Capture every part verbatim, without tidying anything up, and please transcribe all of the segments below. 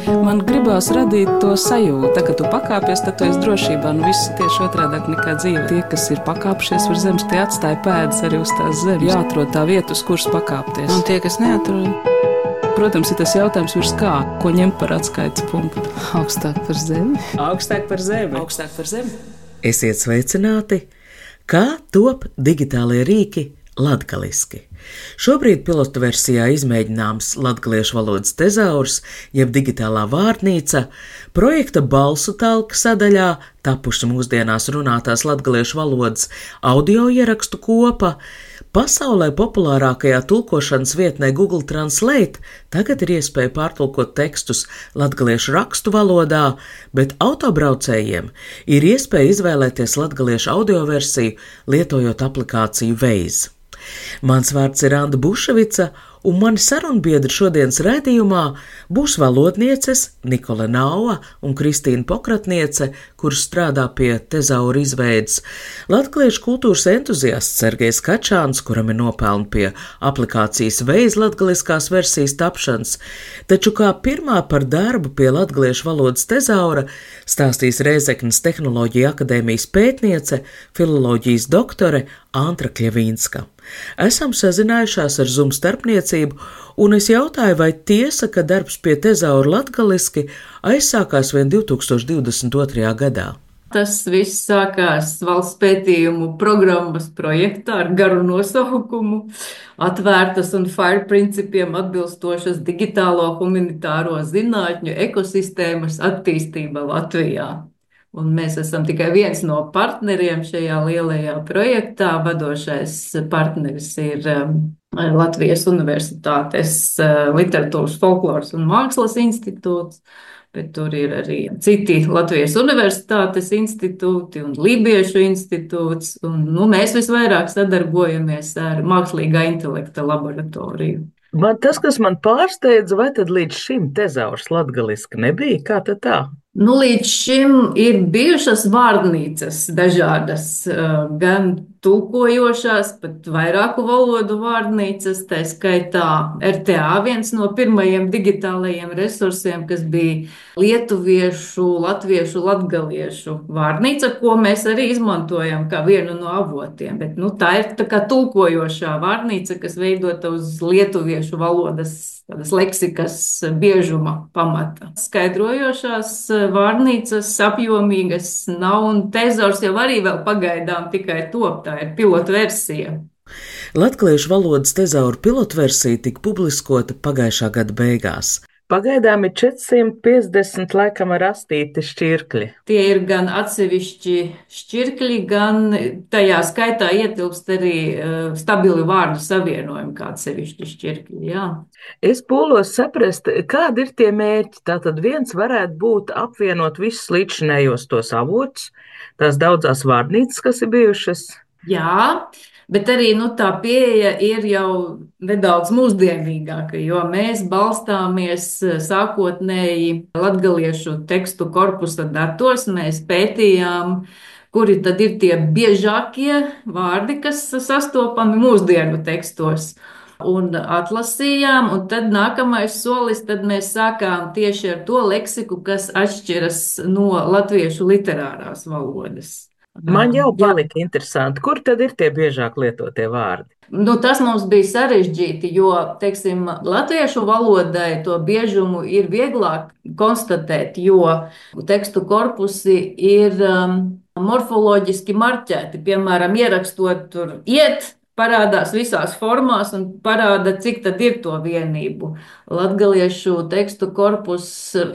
Man gribās radīt to sajūtu, tā, ka tu pakāpies, tad tu esi drošībā. Nu, viss ir tieši otrādāk nekā dzīve. Tie, kas ir pakāpšies uz zemes, tie atstāja pēdas arī uz tās zemes. Jāatrod tā vieta, uz kuras pakāpties. Un tie, kas neatrod, protams, ir tas jautājums, virs kā, ko ņemt par atskaites punktu. augstāk par zemi. Augstāk par zemi. Augstāk par zemi. Esiet sveicināti! Kā top digitālie rīki latgaliski? Šobrīd pilotu versijā izmēģināms latgaliešu valodas tezaurs, jeb digitālā vārnīca, projekta balsu talka sadaļā tapuši mūsdienās runātās latgaliešu valodas audio ierakstu kopa, pasaulē populārākajā tulkošanas vietnē Google Translate tagad ir iespēja pārtulkot tekstus latgaliešu rakstu valodā, bet autobraucējiem ir iespēja izvēlēties latgaliešu audio versiju, lietojot aplikāciju Waze. Mans vārds ir Anda Buševica, un mani sarunbiedri šodienas raidījumā būs valodnieces Nikole Nauva un Kristīna Pokratniece, kuras strādā pie tezaura izveides, latgaliešu kultūras entuziasts Sergejs Kačāns, kuram ir nopelni pie aplikācijas Waze latgaliskās versijas tapšanas, taču kā pirmā par darbu pie latgaliešu valodas tezaura stāstīs Rēzeknes Tehnoloģija akadēmijas pētniece, filoloģijas doktore Antra Kļavīnska. Esam sazinājušās ar Zoom starpniecību, un es jautāju, vai tiesa, ka darbs pie tezaura latgaliski aizsākās vien divi tūkstoši divdesmit otrajā gadā. Tas viss sākās valsts pētījumu programmas projektā ar garu nosaukumu Atvērtas un FAIR principiem atbilstošas digitālo humanitāro zinātņu ekosistēmas attīstība Latvijā. Un mēs esam tikai viens no partneriem šajā lielajā projektā. Vadošais partneris ir Latvijas Universitātes Literatūras, folkloras un mākslas institūts, bet tur ir arī citi Latvijas Universitātes institūti un Lībiešu institūts. Un, nu, mēs visvairāk sadarbojamies ar mākslīgā intelekta laboratoriju. Man tas, kas man pārsteidza, vai tad līdz šim tezaurs latgaliski nebija? Kā tad tā? Nu, līdz šim ir bijušas vārnīcas dažādas, gan tulkojošās, pat vairāku valodu vārnīcas, tā skaitā R T A, viens no pirmajiem digitālajiem resursiem, kas bija lietuviešu, latviešu, latgaliešu vārnīca, ko mēs arī izmantojam kā vienu no avotiem. Bet, nu, tā ir tā kā tulkojošā vārnīca, kas veidota uz lietuviešu valodas tādas leksikas biežuma pamata. Skaidrojošās vārnīcas apjomīgas nav, un tezaurs jau arī vēl pagaidām tikai top, tā ir pilotversija. Latgaliešu valodas tezaura pilotversija tika publiskota pagājušā gada beigās. Pagaidām ir četrsimt piecdesmit laikam ar astīti šķirkļi. Tie ir gan atsevišķi šķirkļi, gan tajā skaitā ietilpst arī uh, stabili vārdu savienojumi kā atsevišķi šķirkļi, jā. Es pūlos saprast, kādi ir tie mērķi. Tātad viens varētu būt apvienot visus līdzinējos tos avotus, tās daudzās vārnīcas, kas ir bijušas. Jā, bet arī nu, tā pieeja ir jau nedaudz mūsdienīgāka, jo mēs balstāmies sākotnēji latgaliešu tekstu korpusa datos. Mēs pētījām, kuri tad ir tie biežākie vārdi, kas sastopami mūsdienu tekstos. Un atlasījām, un tad nākamais solis, tad mēs sākām tieši ar to leksiku, kas atšķiras no latviešu literārās valodas. Man jau palika interesanti, kur tad ir tie biežāk lietotie vārdi? Nu, tas mums bija sarežģīti, jo, teiksim, latviešu valodai to biežumu ir vieglāk konstatēt, jo tekstu korpusi ir um, morfoloģiski marķēti. Piemēram, ierakstot tur iet, parādās visās formās un parāda, cik tad ir to vienību. Latgaliešu tekstu korpus,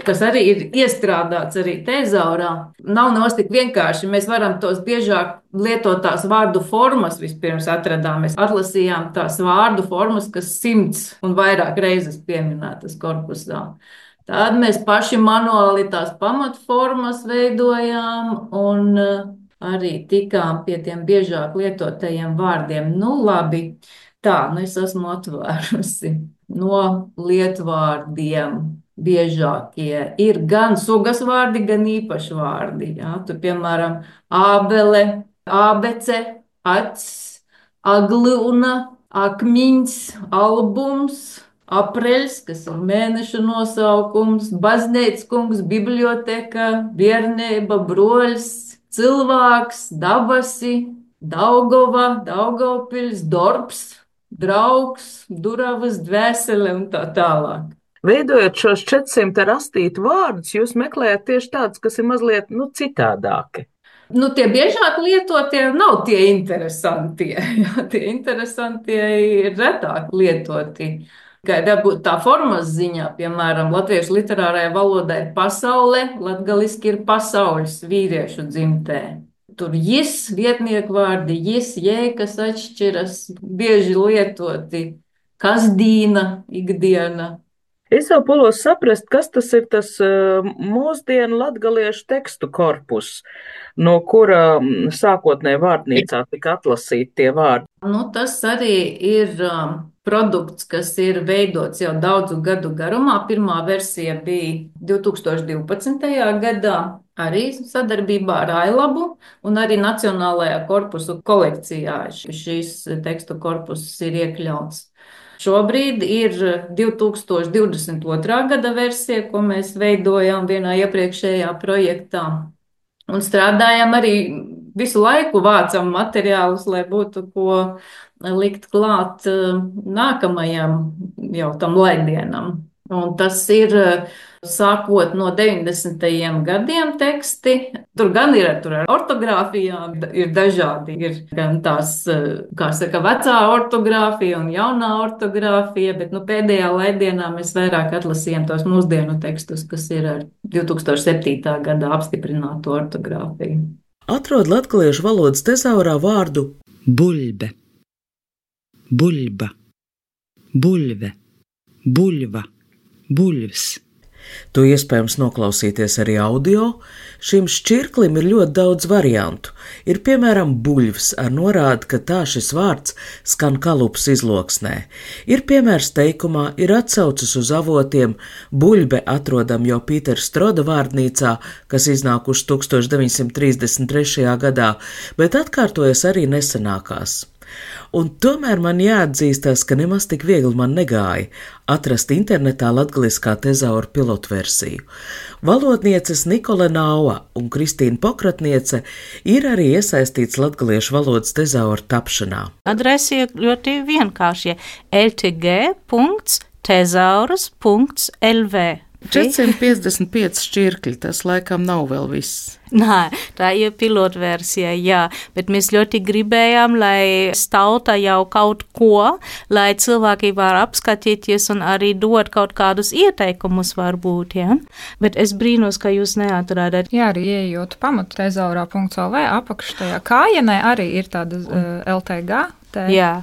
kas arī ir iestrādāts arī tezaurā, nav nemaz tik vienkārši. Mēs varam tos biežāk lietotās vārdu formas vispirms atradām. Mēs atlasījām tās vārdu formas, kas simts un vairāk reizes pieminētas korpusā. Tad mēs paši manuāli tās pamatformas veidojām un arī tikām pie tiem biežāk lietotajiem vārdiem. Nu, labi, tā, nu es esmu atvērusi. No lietvārdiem biežākie ir gan sugas vārdi, gan īpaši vārdi. Jā, tu, piemēram, ābele, ābece, acs, agluna, akmiņs, albums, Apreļs, kas ir mēneša nosaukums, baznīcas kungs, biblioteka, biernība, broļs, cilvēks, dabasi, Daugava, Daugavpils, Dorbs, draugs, duravas, dvēsele un tā tālāk. Veidojot šos četrsimt rastītu vārdus, jūs meklējat tieši tādus, kas ir mazliet nu, citādāki. Nu, tie biežāk lietotie nav tie interesantie. Jā, tie interesantie ir retāk lietoti. Kā dabūt tā formas ziņā, piemēram, latviešu literārajā valodā ir pasaule, latgaliski ir pasaules vīriešu dzimtē. Tur jis, vietnieku vārdi, jis, jē, kas atšķiras, bieži lietoti, kasdīna, ikdiena. Es jau pulos saprast, kas tas ir tas uh, mūsdienu latgaliešu tekstu korpus, no kura sākotnē vārdnīcā tika atlasīti tie vārdi. Nu, tas arī ir um, produkts, kas ir veidots jau daudzu gadu garumā. Pirmā versija bija divi tūkstoši divpadsmitajā gadā, arī sadarbībā ar Ailabu, un arī Nacionālajā korpusu kolekcijā šīs tekstu korpusus ir iekļauts. Šobrīd ir divi tūkstoši divdesmit otrā gada versija, ko mēs veidojām vienā iepriekšējā projektā. Un strādājam arī visu laiku, vācam materiālus, lai būtu ko likt klāt nākamajam jau tam laidienam. Un tas ir sākot no deviņdesmitajiem gadiem teksti. Tur gan ir tur ar ortogrāfijām, ir dažādi. Ir gan tās, kā saka, vecā ortogrāfija un jaunā ortogrāfija, bet nu, pēdējā laidienā mēs vairāk atlasījām tos mūsdienu tekstus, kas ir ar divi tūkstoši septītā gadā apstiprināto ortogrāfiju. Atrod latgaliešu valodas tezaurā vārdu buļbe, buļba, buļve, buļva, buļvs. To iespējams noklausīties arī audio. Šim šķirklim ir ļoti daudz variantu. Ir piemēram buļvs ar norādi, ka tā šis vārds skan kalupas izloksnē. Ir piemērs teikumā, ir atsaucas uz avotiem, buļbe atrodam jau Pītera Stroda vārdnīcā, kas iznākuši tūkstoš deviņsimt trīsdesmit trešajā gadā, bet atkārtojas arī nesenākās. Un tomēr man jāatzīstās, ka nemaz tik viegli man negāja atrast internetā latgaliskā tezaura pilotversiju. Valodnieces Nikola Nauva un Kristīna Pokratniece ir arī iesaistīts latgaliešu valodas tezaura tapšanā. Adrese ir ļoti vienkārši l t g punkts tezauras punkts l v. četrsimt piecdesmit pieci šķirkļi, tas laikam nav vēl viss. Nē, tā ir pilotversija, jā, bet mēs ļoti gribējām, lai stauta jau kaut ko, lai cilvēki var apskatīties un arī dot kaut kādus ieteikumus varbūt, jā. Bet es brīnos, ka jūs neatrādāt. Jā, arī ieejot pamatu tezaurā punkts l v apakštajā kājienē arī ir tāda uh, L T G. Te. Jā.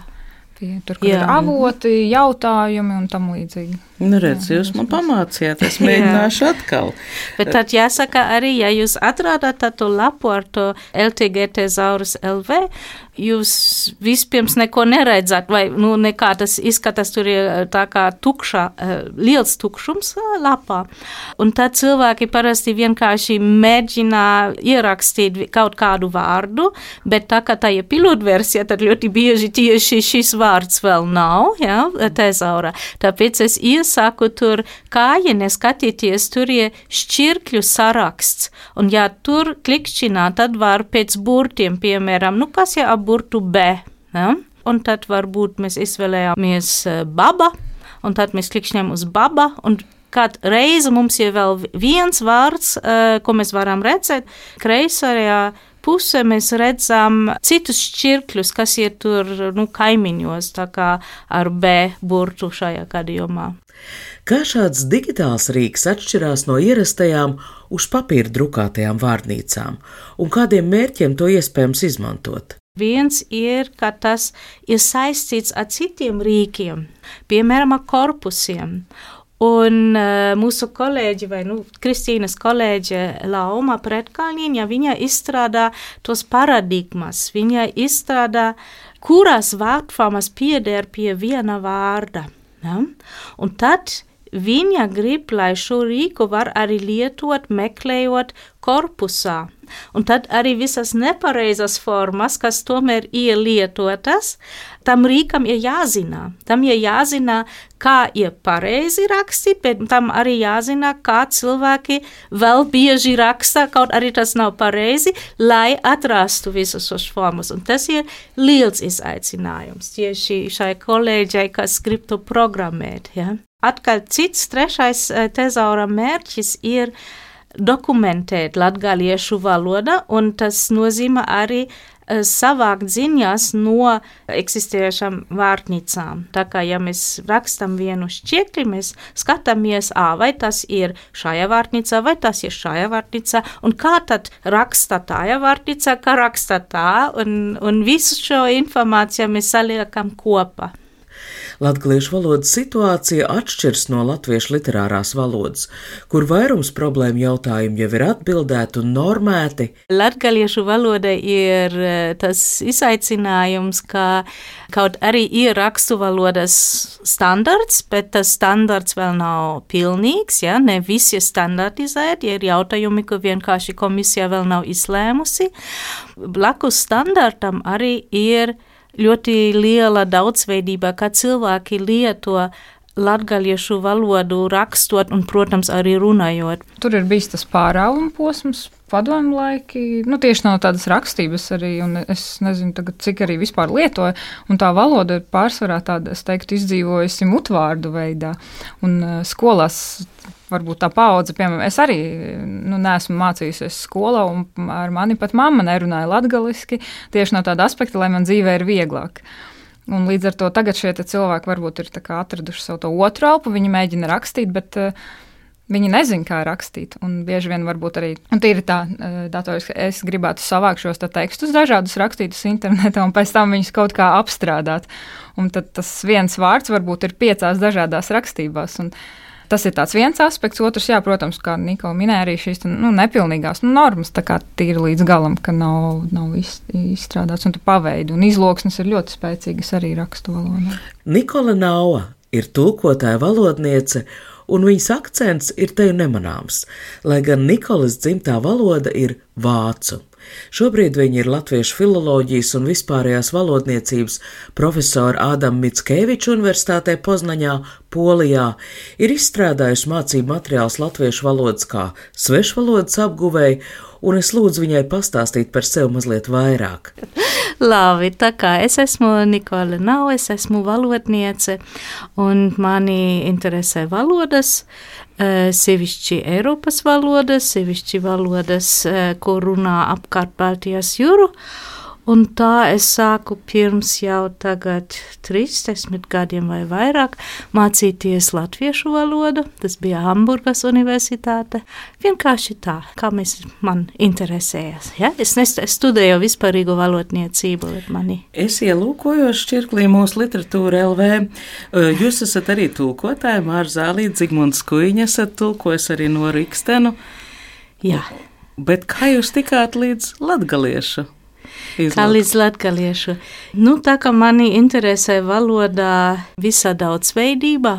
Tur, kur jā. Ir avoti, jautājumi un tam līdzīgi. Nu, redz, jūs man pamācījāt, es mēģināšu atkal. Bet tad jāsaka arī, ja jūs atrādāt tādu lapu ar to L T G tezaurus L V, jūs vispirms neko neredzat, vai nu nekā tas izskatās, tur ir tā kā tukša, liels tukšums lapā. Un tad cilvēki parasti vienkārši mēģina ierakstīt kaut kādu vārdu, bet tā kā tā ir pilotversija, tad ļoti bieži tieši šis vārds vēl nav, jā, tezaurā. Tāpēc es iesaku tur kājienē skatīties, tur ir šķirkļu saraksts. Un ja tur klikšķinā, tad var pēc burtiem, piemēram, nu kas ir ap burtu B, ja? Un tad varbūt mēs izvēlējāmies baba, un tad mēs klikšķinām uz baba, un kādu reizi mums ir vēl viens vārds, ko mēs varam redzēt, kreisajā pusē mēs redzam citus šķirkļus, kas ir tur, nu, kaimiņos, tā kā ar B burtu šajā gadījumā. Kā šāds digitāls rīks atšķirās no ierastajām uz papīra drukātajām vārdnīcām, un kādiem mērķiem to iespējams izmantot? Viens ir, ka tas ir saistīts ar citiem rīkiem, piemēram, ar korpusiem. Un uh, mūsu kolēģi, vai nu, Kristīnas kolēģe Lauma Pretkalniņa, viņa izstrādā tos paradigmas, viņa izstrādā, kurās vārdformas pieder pie viena vārda. Ja? Un tad viņa grib, lai šo rīku var arī lietot, meklējot korpusā. Un tad arī visas nepareizas formas, kas tomēr ir lietotas, tam rīkam ir jāzina. Tam ir jāzina, kā ir pareizi rakstīt, bet tam arī jāzina, kā cilvēki vēl bieži raksta, kaut arī tas nav pareizi, lai atrastu visas šos formas. Un tas ir liels izaicinājums tieši šai kolēģei, kas grib to programmēt. Ja? Atkal cits trešais tezaura mērķis ir dokumentēt latgaliešu valoda, un tas nozīmē arī savākt ziņas no eksistējušām vārtnīcām. Tā kā, ja mēs rakstam vienu šķiekli, mēs skatāmies, ā, vai tas ir šajā vārtnīcā, vai tas ir šajā vārtnīcā, un kā tad raksta tajā vārtnīcā, kā raksta tā, un, un visu šo informāciju mēs saliekam kopā. Latgaliešu valodas situācija atšķiras no latviešu literārās valodas, kur vairums problēmu jautājumu jau ir atbildēti un normēti. Latgaliešu valoda ir tas izaicinājums, ka kaut arī ir rakstu valodas standarts, bet tas standarts vēl nav pilnīgs, ja? Ne visi ir standartizēti, ir jautājumi, ko vienkārši komisija vēl nav izlēmusi. Blakus standartam arī ir ļoti liela daudzveidība, kā cilvēki lieto latgaliešu valodu rakstot un, protams, arī runājot. Tur ir bijis tas pārāvuma posms, padomu laiki, nu tieši nav tādas rakstības arī, un es nezinu tagad, cik arī vispār lietoju, un tā valoda ir pārsvarā tāda, es teiktu, izdzīvojusi mutvārdu veidā, un uh, skolās varbūt tā paudze, piemēram, es arī nu, neesmu mācījusies skolā, un ar mani pat mamma nerunāja latgaliski, tieši no tāda aspekta, lai man dzīvē ir vieglāk. Un līdz ar to tagad šie cilvēki varbūt ir tā kā atraduši savu to otru elpu, viņi mēģina rakstīt, bet uh, viņi nezin, kā rakstīt, un bieži vien varbūt arī, un tīri tā uh, datoriski, es gribētu savākt šos tā tekstus dažādus rakstītus internetā, un pēc tam viņus kaut kā apstrādāt, un tad tas viens vārds varbūt ir piecās dažādās rakstībās, un tas ir tāds viens aspekts, otrs, jā, protams, kā Nikola minēja, arī šīs nu, nepilnīgās nu, normas, tā kā tīri līdz galam, ka nav, nav izstrādāts, un tu paveidi, un izloksnes ir ļoti spēcīgas arī rakstu valodā. Nikola Naua ir tulkotāja valodniece, un viņas akcents ir te nemanāms, lai gan Nikolas dzimtā valoda ir vācu. Šobrīd viņa ir latviešu filoloģijas un vispārējās valodniecības profesora Ādama Mickeviča Universitātē Poznaņā, Polijā, ir izstrādājusi mācību materiālus latviešu valodas kā svešvalodas apguvēji, un es lūdzu viņai pastāstīt par sevi mazliet vairāk. Labi, tā kā es esmu Nikola Naua, es esmu valodniece, un mani interesē valodas, sevišķi Eiropas valodas, sevišķi valodas, ko runā apkārt Baltijas jūru, un tā es sāku pirms jau tagad trīsdesmit gadiem vai vairāk mācīties latviešu valodu, tas bija Hamburgas universitāte, vienkārši tā, kā mēs man interesējas, ja? Es, nes, es studēju vispārīgu valodniecību, bet mani. Es ielūkojos šķirklī mūsu literatūra L V. Jūs esat arī tulkotāji, Māra Zālīte, Zigmunds Kuiņa, esat tulkojis arī no Rikstenu. Jā. Bet kā jūs tikāt līdz latgaliešu? Izlūk. Kā līdz latgaliešu. Nu, tā kā mani interesē valodā visā daudzveidībā.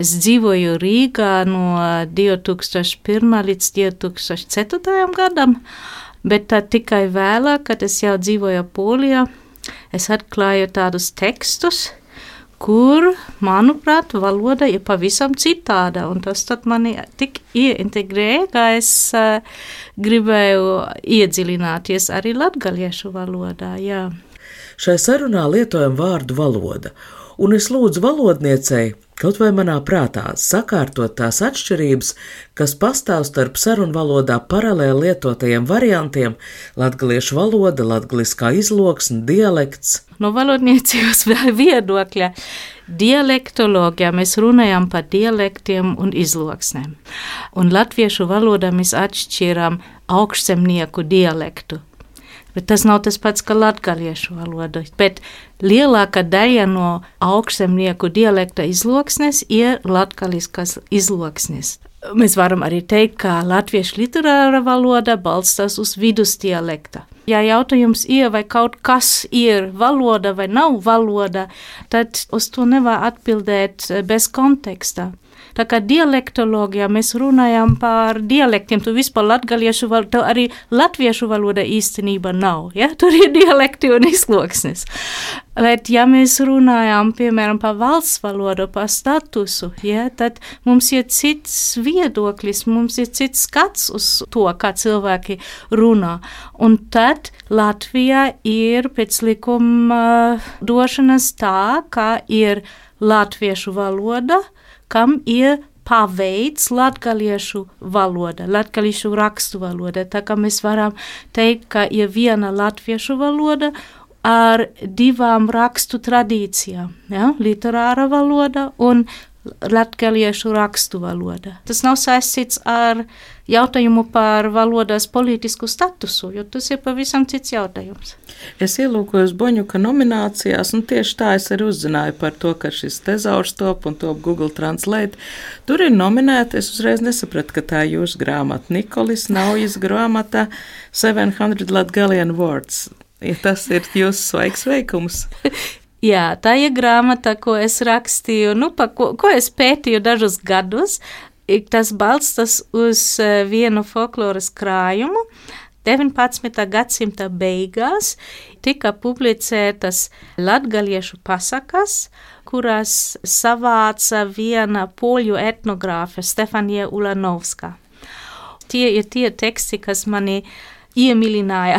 Es dzīvoju Rīgā no divi tūkstoši pirmā līdz divi tūkstoši ceturtajam gadam, bet tā tikai vēlāk, kad es jau dzīvoju Polijā, es atklāju tādus tekstus, kur, manuprāt, valoda ir pavisam citāda, un tas tad mani tik ieintegrēja, ka es uh, gribēju iedziļināties arī latgaliešu valodā, jā. Šai sarunā lietojam vārdu valoda, un es lūdzu valodniecei, kaut vai manā prātā, sakārtot tās atšķirības, kas pastāv starp sarunvalodā paralēli lietotajiem variantiem – latgaliešu valoda, latgaliskā izloksne, dialekts. No valodniecības viedokļa dialektoloģijā mēs runājam par dialektiem un izloksnēm. Un latviešu valodā mēs atšķiram augšzemnieku dialektu. Bet tas nav tas pats, kā latgaliešu valoda. Bet lielākā daļa no augšzemnieku dialekta izloksnes ir latgaliskas izloksnes. Mēs varam arī teikt, ka latviešu literāra valoda balstās uz vidusdialekta. Ja jautājums ir, vai kaut kas ir valoda vai nav valoda, tad uz to nevar atbildēt bez konteksta. Tā kā dialektoloģijā mēs runājam par dialektiem, tu vispār latgaliešu valoda, arī latviešu valoda īstenība nav, ja? Tur ir dialekti un izloksnes. Bet, ja mēs runājam, piemēram, par valsts valodu, par statusu, ja, tad mums ir cits viedoklis, mums ir cits skats uz to, kā cilvēki runā. Un tad Latvijā ir pēc likuma došanas tā, ka ir latviešu valoda, kam ir paveids latgaliešu valoda, latgaliešu rakstu valoda. Tā kā mēs varam teikt, ka ir viena latviešu valoda ar divām rakstu tradīcijām, ja? Literāra valoda un latgaliešu rakstu valoda. Tas nav saistīts ar jautājumu par valodas politisku statusu, jo tas ir pavisam cits jautājums. Es ielūkojos Boņuka nominācijās, un tieši tā es arī uzzināju par to, ka šis tezaurs top un top Google Translate. Tur ir nominēta, es uzreiz nesapratu, ka tā ir jūsu grāmata. Nikolis Naujas grāmata seven hundred Latgalian Words. Ja tas ir jūsu svaigs veikums. Jā, tā ir grāmata, ko es rakstīju, nu, pa ko, ko es pētīju dažus gadus. Tas balstas uz vienu folkloras krājumu. deviņpadsmitā gadsimta beigās tika publicētas latgaliešu pasakas, kurās savāca viena poļu etnogrāfe Stefanija Ulanovska. Tie ir tie teksti, kas mani iemīlināja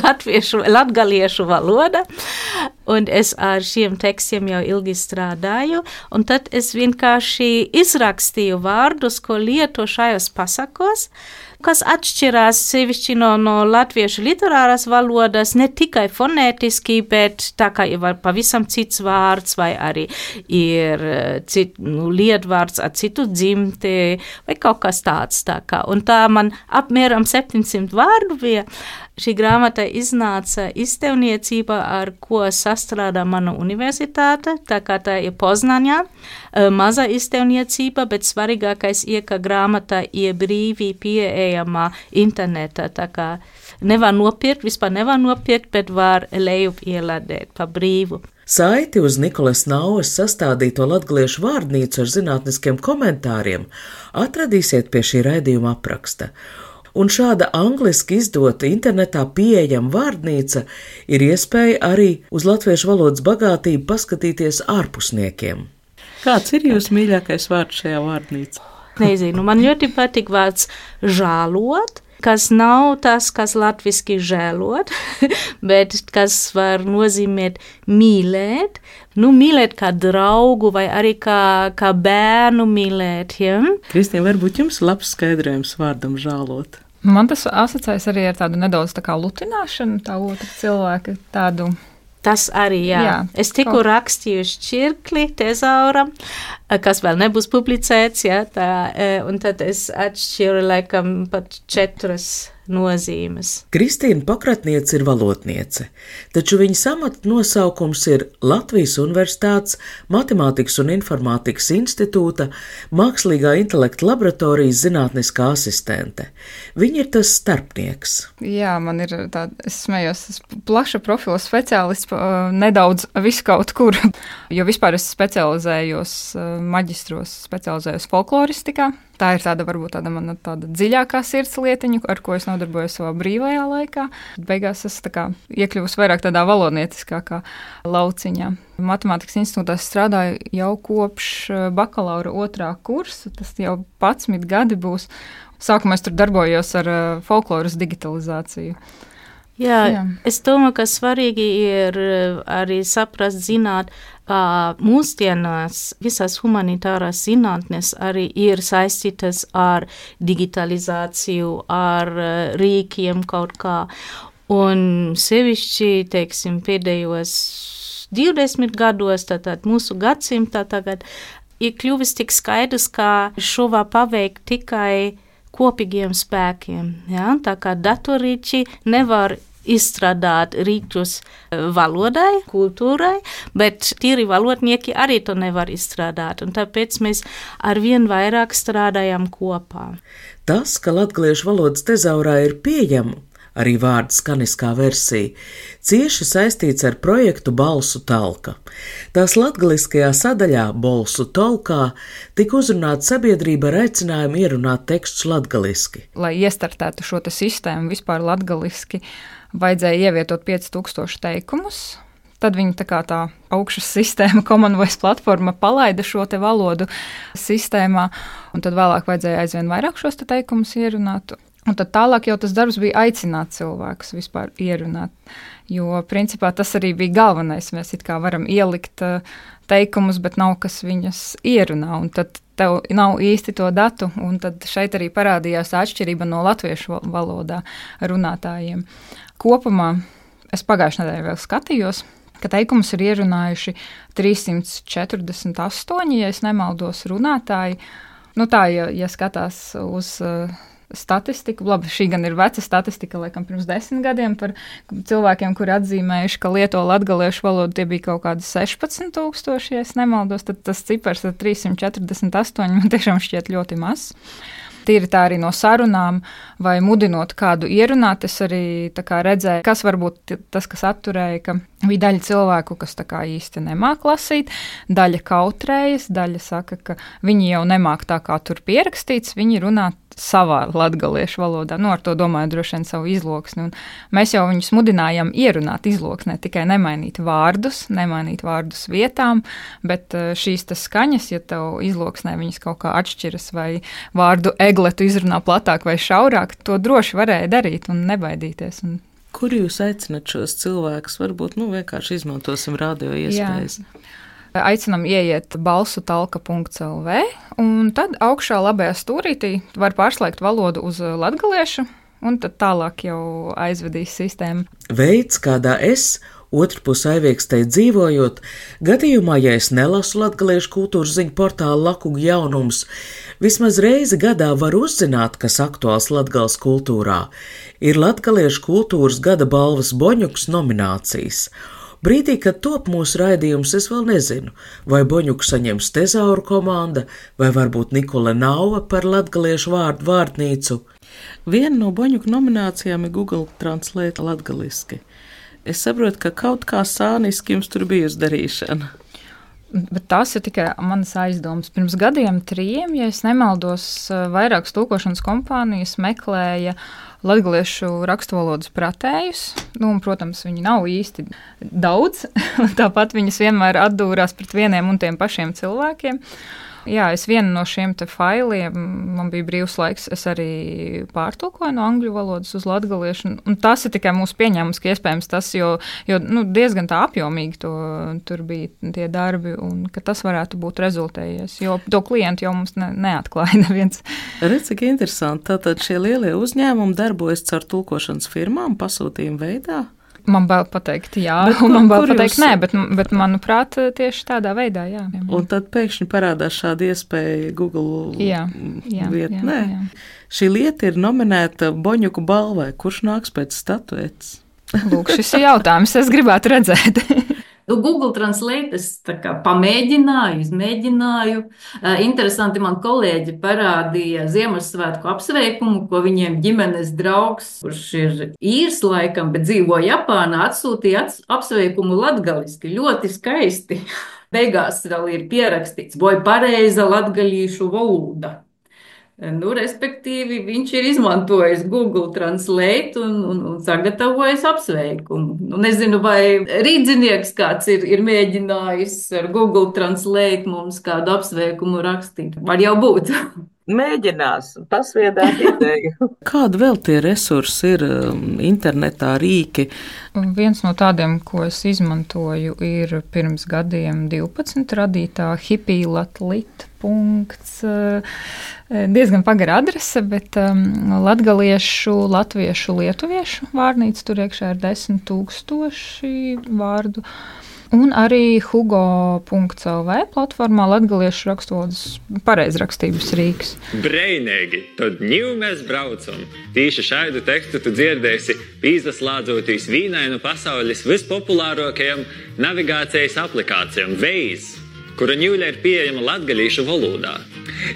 latviešu, latgaliešu valoda, un es ar šiem tekstiem jau ilgi strādāju, un tad es vienkārši izrakstīju vārdus, ko lieto šajos pasakos, kas atšķirās sevišķi no, no latviešu literāras valodas, ne tikai fonētiski, bet tā kā ir pavisam cits vārds, vai arī ir cit, nu, lietvārds ar citu dzimti, vai kaut kas tāds tā kā. Un tā man apmēram septiņsimt vārdu bija. Šī grāmata iznāca izdevniecībā, ar ko sastrādā mana universitāte, tā kā tā ir Poznaņā, maza izdevniecība, bet svarīgākais ir, ka grāmata ir brīvi pieejama internetā, tā kā nevar nopirkt, vispār nevar nopirkt, bet var lejup ielādēt pa brīvu. Saiti uz Nikolas Naujas sastādīto latgaliešu vārdnīcu ar zinātniskiem komentāriem atradīsiet pie šī raidījuma apraksta. Un šāda angliski izdota internetā pieejama vārdnīca ir iespēja arī uz latviešu valodas bagātību paskatīties ārpusniekiem. Kāds ir jūsu mīļākais vārds šajā vārdnīcā? Nezinu, man ļoti patīk vārds žālot, kas nav tas, kas latviski žēlot, bet kas var nozīmēt mīlēt, nu mīlēt kā draugu vai arī kā, kā bērnu mīlēt. Ja? Kristīna, varbūt jums labs skaidrojums vārdam žālot? Man tas asociējas arī ar tādu nedaudz tā kā lutināšanu, tā otra cilvēka tādu. Tas arī, jā. jā es tikko kaut... rakstīju šķirkli tezauram, kas vēl nebūs publicēts, jā, tā, un tad es atšķiru laikam pat četras nozīmes. Kristīna Pakratniece ir valodniece, taču viņas amata nosaukums ir Latvijas Universitātes Matemātikas un informātikas institūta Mākslīgā intelekta laboratorijas zinātniskā asistente. Viņa ir tas starpnieks. Jā, man ir tāda, es smējos, es plaša profila speciālists, nedaudz visu kaut kur, jo vispār es specializējos maģistros, specializējos folkloristikā. Tā ir tāda, varbūt tāda mana tāda dziļākā sirds lietiņa, ar ko es nodarbojos savā brīvajā laikā. Beigās es tā kā iekļuvusi vairāk tādā valodnieciskākā lauciņā. Matemātikas institūtā strādāju jau kopš bakalaura otrā kursa, tas jau padsmit gadi būs. Sākumā es tur darbojos ar folkloras digitalizāciju. Jā, Jā, es domāju, ka svarīgi ir arī saprast, zināt, ka mūsdienās visas humanitārās zinātnes arī ir saistītas ar digitalizāciju, ar rīkiem kaut kā. Un sevišķi, teiksim, pēdējos divdesmit gados, tātad mūsu gadsimtā tagad, ir kļuvis tik skaidrs, ka šo var paveikt tikai kopīgiem spēkiem. Ja? Tā kā datorīči nevar izstrādāt rītus valodai, kultūrai, bet tīri valodnieki arī to nevar izstrādāt, un tāpēc mēs arvien vairāk strādājam kopā. Tas, ka latgaliešu valodas tezaurā ir pieejama arī vārda skaniskā versija, cieši saistīts ar projektu Balsu talka. Tās latgaliskajā sadaļā Balsu talkā tika uzrunāta sabiedrība ar aicinājumu ierunāt tekstus latgaliski. Lai iestartētu šo te sistēmu vispār latgaliski, vajadzēja ievietot pieci tūkstoši teikumus. Tad viņi tā kā tā augšas sistēma, Common Voice platforma palaida šo te valodu sistēmā, un tad vēlāk vajadzēja aizvien vairāk šos te teikumus ierunāt. Un tad tālāk jau tas darbs bija aicināt cilvēkus vispār ierunāt, jo principā tas arī bija galvenais. Mēs it kā varam ielikt teikumus, bet nav kas viņas ierunā, un tad tev nav īsti to datu, un tad šeit arī parādījās atšķirība no latviešu valodā runātājiem. Kopumā es pagājušajā nedēļā vēl skatījos, ka teikumus ir ierunājuši trīssimt četrdesmit astoņi, ja es nemaldos, runātāji. Nu tā, ja, ja skatās uz uh, statistiku, labi, šī gan ir veca statistika, laikam pirms desmit gadiem par cilvēkiem, kuri atzīmējuši, ka lieto latgaliešu valodu, tie bija kaut kādi sešpadsmit tūkstoši, ja es nemaldos, tad tas cipars ar trīssimt četrdesmit astoņi man tiešām šķiet ļoti mazs. Tīri tā arī no sarunām vai mudinot kādu ierunāt, es arī tā kā redzēju, kas varbūt tas, kas atturēja, ka bija daļa cilvēku, kas tā kā īsti nemāk lasīt, daļa kautrējas, daļa saka, ka viņi jau nemāk tā kā tur pierakstīts, viņi runā savā latgaliešu valodā, nu ar to domāju droši vien savu izloksni, un mēs jau viņus mudinājām ierunāt izloksnē, tikai nemainīt vārdus, nemainīt vārdus vietām, bet šīs tas skaņas, ja tev izloksnē viņas kaut kā atšķiras vai vārdu egletu izrunā platāk vai šaurāk, to droši varēja darīt un nebaidīties. Un kur jūs aicinat šos cilvēkus? Varbūt, nu, vienkārši izmantosim radio iespējas. Jā. Aicinam ieiet balsu talka punkts el vē, un tad augšā labajā stūrītī var pārslēgt valodu uz latgaliešu, un tad tālāk jau aizvedīs sistēmu. Veids, kādā es, otrpus Aiviekstei dzīvojot, gadījumā, ja es nelasu latgaliešu kultūras ziņu portālu Lakugu jaunums, vismaz reizi gadā var uzzināt, kas aktuāls Latgales kultūrā, ir latgaliešu kultūras gada balvas Boņuks nominācijas. Brīdī, kad top mūsu raidījums, es vēl nezinu, vai Boņuku saņems Tezauru komanda, vai varbūt Nikola Nauva par latgaliešu vārdu vārtnīcu. Viena no Boņuku nominācijām ir Google Translate latgaliski. Es saprotu, ka kaut kā sāniski jums tur bijusi darīšana. Bet tas ir tikai manas aizdomas. Pirms gadiem trījiem, ja es nemaldos, vairākas tulkošanas kompānijas meklēja latgaliešu raksturvalodas pratējus. Nu, un, protams, viņi nav īsti daudz. Tāpat viņas vienmēr atdūrās pret vieniem un tiem pašiem cilvēkiem. Jā, es vienu no šiem te failiem, man bija brīvs laiks, es arī pārtulkoju no angļu valodas uz latgaliešu, un tas ir tikai mūsu pieņēmums, ka iespējams tas, jo, jo nu, diezgan tā apjomīgi to, tur bija tie darbi, un ka tas varētu būt rezultējies, jo to klientu jau mums ne, neatklāja neviens. Redz, cik interesanti, tātad šie lielie uzņēmumi darbojas caur tulkošanas firmām pasūtījumu veidā? Man bail pateikt jā, bet, un man bail kur pateikt jūs... nē, bet, bet manuprāt tieši tādā veidā, jā. Un tad pēkšņi parādās šāda iespēja Google jā, jā, vietnē. Jā, jā. Šī lieta ir nominēta Boņuku balvai. Kurš nāks pēc statuetes? Lūk, šis ir jautājums, es gribētu redzēt. Nu, Google Translate es tā kā pamēģināju, izmēģināju. Uh, interesanti, man kolēģi parādīja Ziemassvētku apsveikumu, ko viņiem ģimenes draugs, kurš ir īrs laikam, bet dzīvo Japānā, atsūtīja ats, apsveikumu latgaliski. Ļoti skaisti. Beigās vēl ir pierakstīts, vai pareiza latgalīšu valoda. Nu, respektīvi, viņš ir izmantojis Google Translate un, un, un sagatavojis apsveikumu. Nu, nezinu, vai rīdzinieks kāds ir, ir mēģinājis ar Google Translate mums kādu apsveikumu rakstīt. Var jau būt. Mēģinās, pasviedāt ideju. Kāda vēl tie resursi ir internetā, rīki? Viens no tādiem, ko es izmantoju, ir pirms gadiem divpadsmit radītā hippielatlit punkts. Diezgan pagara adrese, bet um, latgaliešu, latviešu, lietuviešu vārnīca tur iekšā ir desmit tūkstoši vārdu. Un arī hugo punkts el vē platformā latgaliešu rakstvalodas pareizrakstības rīks. Breinīgi, tad ņiv mēs braucam. Tīši šaidu tekstu tu dzirdēsi pīzaslādzotīs vīnainu pasaules vispopulārākajam navigācijas aplikācijam Waze, kura ņūļa ir pieejama latgalīšu valodā.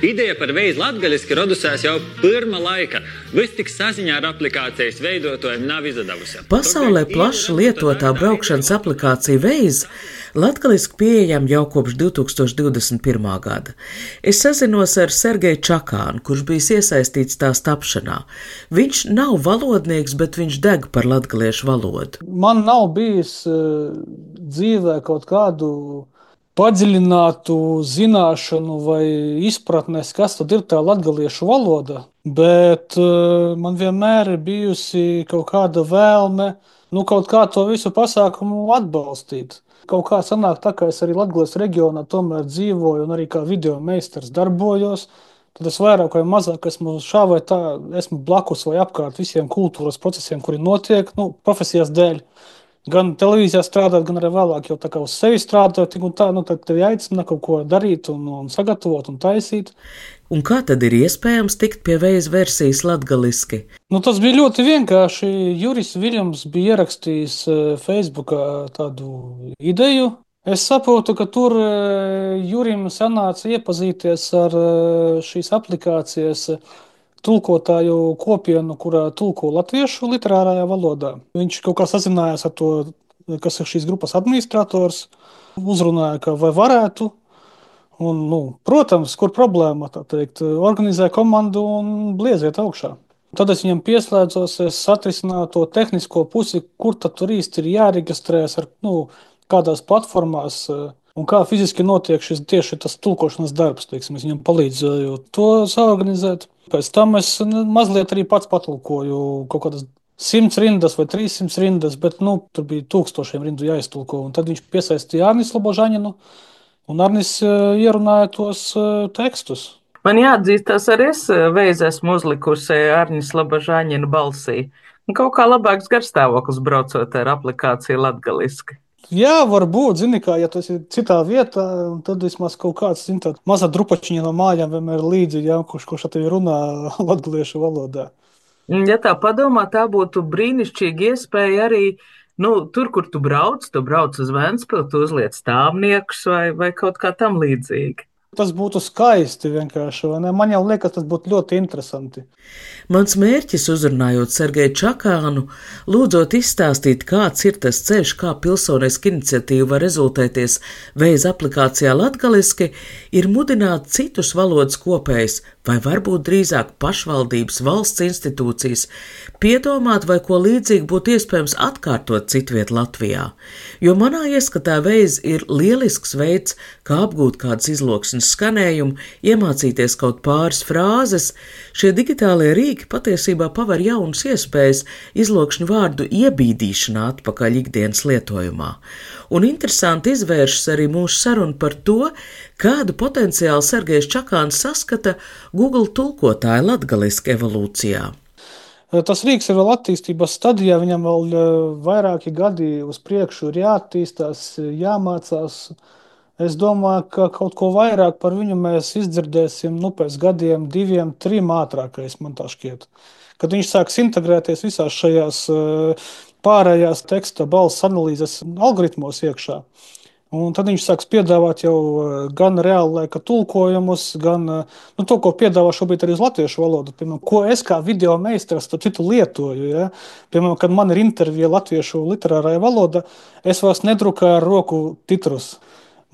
Ideja par veizu latgaliski rodusēs jau pirma laika, vis tik saziņā ar aplikācijas veidotojiem nav izdevusi. Pasaulē plaši lietotā braukšanas aplikācija Veiz latgaliski pieejama jau kopš divi tūkstoši divdesmit pirmā gada. Es sazinos ar Sergeju Čakānu, kurš bijis iesaistīts tās tapšanā. Viņš nav valodnieks, bet viņš deg par latgaliešu valodu. Man nav bijis uh, dzīvē kaut kādu padziļinātu zināšanu vai izpratnes, kas tad ir tā latgaliešu valoda, bet uh, man vienmēr ir bijusi kaut kāda vēlme, nu kaut kā to visu pasākumu atbalstīt. Kaut kā sanāk tā, ka es arī Latgales reģionā tomēr dzīvoju un arī kā video meistars darbojos, tad es vairāk vai mazāk esmu šā vai tā, esmu blakus vai apkārt visiem kultūras procesiem, kuri notiek, nu, profesijas dēļ. Gan televīzijā strādāt, gan arī vēlāk jau tā kā uz sevi strādāt, tik un tā, nu tad tevi aicina kaut ko darīt un, un sagatavot un taisīt. Un kā tad ir iespējams tikt pie Veiz versijas latgaliski? Nu tas bija ļoti vienkārši. Juris Viljams bija ierakstījis Facebookā tādu ideju. Es saprotu, ka tur Jurim sanāca iepazīties ar šīs aplikācijas tulkotāju kopienu, kurā tulko latviešu literārajā valodā. Viņš kaut kā sazinājās ar to, kas ir šīs grupas administrators, uzrunāja, ka vai varētu. Un, nu, protams, kur problēma, tā teikt, organizē komandu un blieziet augšā. Tad es viņam pieslēdzos, es atrisināju to tehnisko pusi, kur tad tur īsti ir jāreģistrējas, ar, nu, kādās platformās un kā fiziski notiek šis tieši tas tulkošanas darbs, teiksim, es viņam palīdzēju to saorganizēt. Pēc tam es mazliet arī pats patulkoju kaut kādas simts rindas vai trīssimts rindas, bet, nu, tur bija tūkstošiem rindu jāiztulko, un tad viņš piesaistīja Arnis Lobožaņinu, un Arnis ierunāja tos tekstus. Man jāatzīstās, arī es Veiz esmu uzlikusi Arnis Lobožaņina balsī. Un kaut kā labāks garstāvoklis braucot ar aplikāciju latgaliski. Jā, varbūt, zini kā, ja tu esi citā vietā, tad vismaz kaut kāds, zini, tā maza drupačiņa no mājām vienmēr līdzi, jā, kurš, kurš ar tevi runā latgaliešu valodā. Ja tā padomā, tā būtu brīnišķīga iespēja arī, nu, tur, kur tu brauc, tu brauc uz Ventspili, tu uzliec stāvniekus vai, vai kaut kā tam līdzīgi. Tas būtu skaisti vienkārši, vai ne? Man jau liekas, tas būtu ļoti interesanti. Mans mērķis, uzrunājot Sergeju Čakānu, lūdzot izstāstīt, kāds ir tas ceļš, kā pilsoniska iniciatīva var rezultēties Veiz aplikācijā latgaliski, ir mudināt citus valodas kopējus, vai varbūt drīzāk pašvaldības valsts institūcijas, piedomāt, vai ko līdzīgi būtu iespējams atkārtot citviet Latvijā. Jo manā ieskatā Veiz ir lielisks veids, kā apgūt kādas izloksnes skanējumu, iemācīties kaut pāris frāzes. Šie digitālie rīki patiesībā paver jaunas iespējas izlokšņu vārdu iebīdīšanā atpakaļ ikdienas lietojumā. Un interesanti izvēršas arī mūsu saruna par to, kādu potenciālu Sergejs Čakāns saskata Google tulkotāja latgaliski evolūcijā. Tas rīks ir vēl attīstības stadijā, viņam vēl vairāki gadi uz priekšu ir jāattīstās, jāmācās. Es domāju, ka kaut ko vairāk par viņu mēs izdzirdēsim, nu, pēc gadiem, diviem, trim ātrākais, man tā šķiet. Kad viņš sāks integrēties visās šajās pārējās teksta balss analīzes algoritmos iekšā. Un tad viņš sāks piedāvāt jau gan reāla laika tulkojumus, gan nu, to, ko piedāvā šobrīd arī uz latviešu valodu. Piemēram, ko es kā video meistars starp citu lietoju. Ja? Piemēram, kad man ir intervija latviešu literārajā valodā, es vairs nedrukāju ar roku titrus.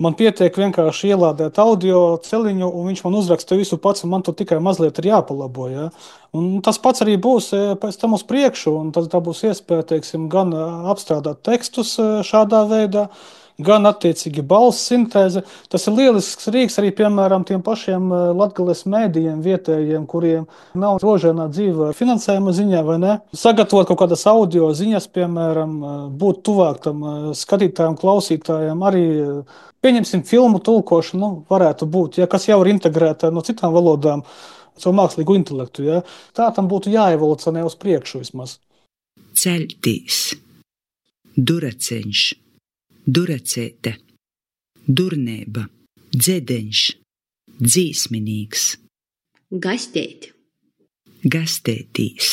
Man pietiek vienkārši ielādēt audio celiņu, un viņš man uzraksta visu pats, un man tur tikai mazliet ir jāpalabo. Ja? Un tas pats arī būs pēc tam uz priekšu, un tad tā būs iespēja, teiksim, gan apstrādāt tekstus šādā veidā, gan attiecīgi balss sintēze. Tas ir lielisks rīks arī, piemēram, tiem pašiem Latgales mēdījiem vietējiem, kuriem nav rožēnā dzīve finansējuma ziņā, vai ne? Sagatavot kaut kādas audio ziņas, piemēram, būt tuvāk tam skatītājiem, klausītājiem, arī, pieņemsim, filmu tulkošanu, nu, varētu būt, ja, kas jau ir integrēta no citām valodām, savu mākslīgu intelektu, ja. Tā tam būtu jāevolucionē uz priekšu vismaz. Ceļtīs, duraceņš, duracēte, durnēba, dzedeņš, dzīsminīgs. Gastēt. Gastētīs.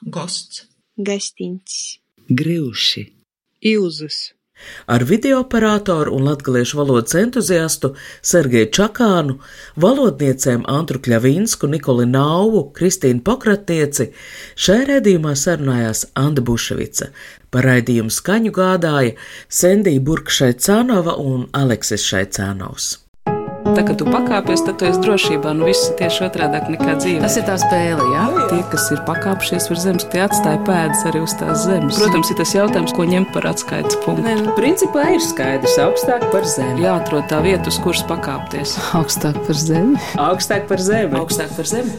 Gosts. Gastiņš. Gryuši. Ilzus. Ar videooperatoru un latgaliešu valodas entuziastu Sergeju Čakānu, valodniecēm Antru Kļavinsku, Nikoli Nauvu, Kristīnu Pokratnieci šajā raidījumā sarunājās Anda Buševica. Par raidījumu skaņu gādāja Sendija Burka-Šaicānova un Aleksis Šaicānovs. Tā, kad tu pakāpies, tad tu esi drošībā, nu viss ir tieši otrādāk nekā dzīve. Tas ir tā spēle, jā? Tie, kas ir pakāpšies virs zemes, tie atstāja pēdas arī uz tās zemes. Protams, ir tas jautājums, ko ņemt par atskaites punktu. Nē, nu, principā ir skaidrs, augstāk par zemi. Jāatrod tā vieta, uz kuras pakāpties. Augstāk par zemi. Augstāk par zemi. Augstāk par zemi.